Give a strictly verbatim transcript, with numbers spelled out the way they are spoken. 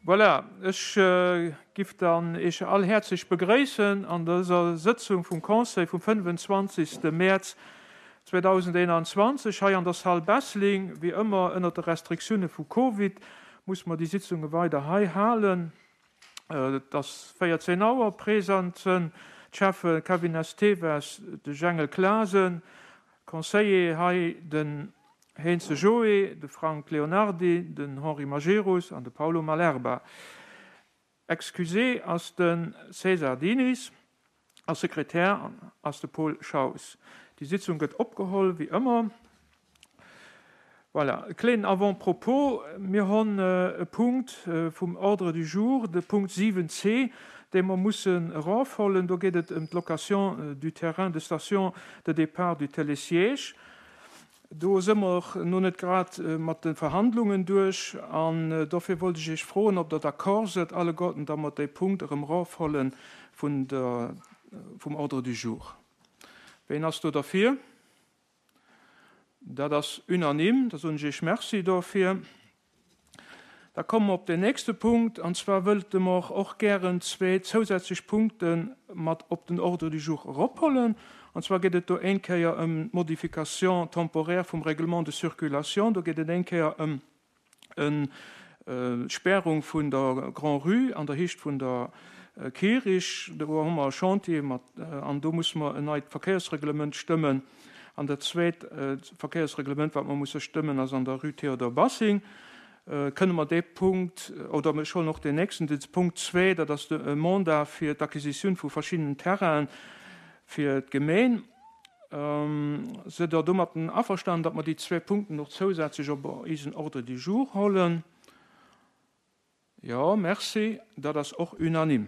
Voilà, ech giff dann Iech all häerzlech begréissen an dëser Sëtzung vum Conseil vum fënnefenzwanzegste Mäerz zweedausendeenanzwanzeg hei an der Salle Bessling. Wéi ëmmer ënnert de Restriktioune vu Covid musse mer déi Sitzunge weider hei halen. Et ass véierzéng Auer. Present sënn d'Schäffe Kevin Esteves, de Jengel Clasen, Conseiller hei den Heintze Joé, de Frank Leonardi, den Henri Majerus an de Paulo Malerba. Excusé ass de César Diniz a Sekretär ass de Paul Schaus. Déi Sitzung gëtt opgeholl, wéi ëmmer. Voilà, e kléinen Avant-propos, Mir honn e Punkt vum Ordre du jour, de Punkt siwen C, dee mer mussen erofhollen. Do geet et ëm d'Location du terrain de station de départ du Télésiège. Do si mer no net grad mat de Verhandlungen duerch an dofir wollt ech Iech froen, ob Der d'accord sidd alleguerten, datt mer dee Punkt erëm erofholle vun der, vum Ordre du jour. Ween ass do derfir? Dat ass unanime, da soen ech Iech Merci dofir. Da komme mer op den nächste Punkt, an zwar wëllte mer och gären zwee zousätzlech Punkte mat op den Ordre du jour erophollen. An zwar geet et do éin Kéier ëm d'Modification temporaire vum Règlement de circulation. Do geet et éin Kéier ëm en d'Spärung vun der Grand-Rue an der Héicht vun der Kirich. Do hu mer e Chantier mat an do musse mer en neit Verkéiersreglement stëmmen. An dat zweet Verkéiersreglement, wat mer musse stëmmen, ass an der Rue Théodore Bassing. Kënne mer dee Punkt, oder ech huelen och deen nächsten, de Punkt zwee, dat ass de Mandat fir d'Acquisitioun vu verschiddenen Terrainen fir d'Gemeen. Sidd Der domatten averstanen, datt mer déi zwee Punkten och zousätzlech op eisen Ordre du jour hollen? Jo, merci. Dat ass och unanime.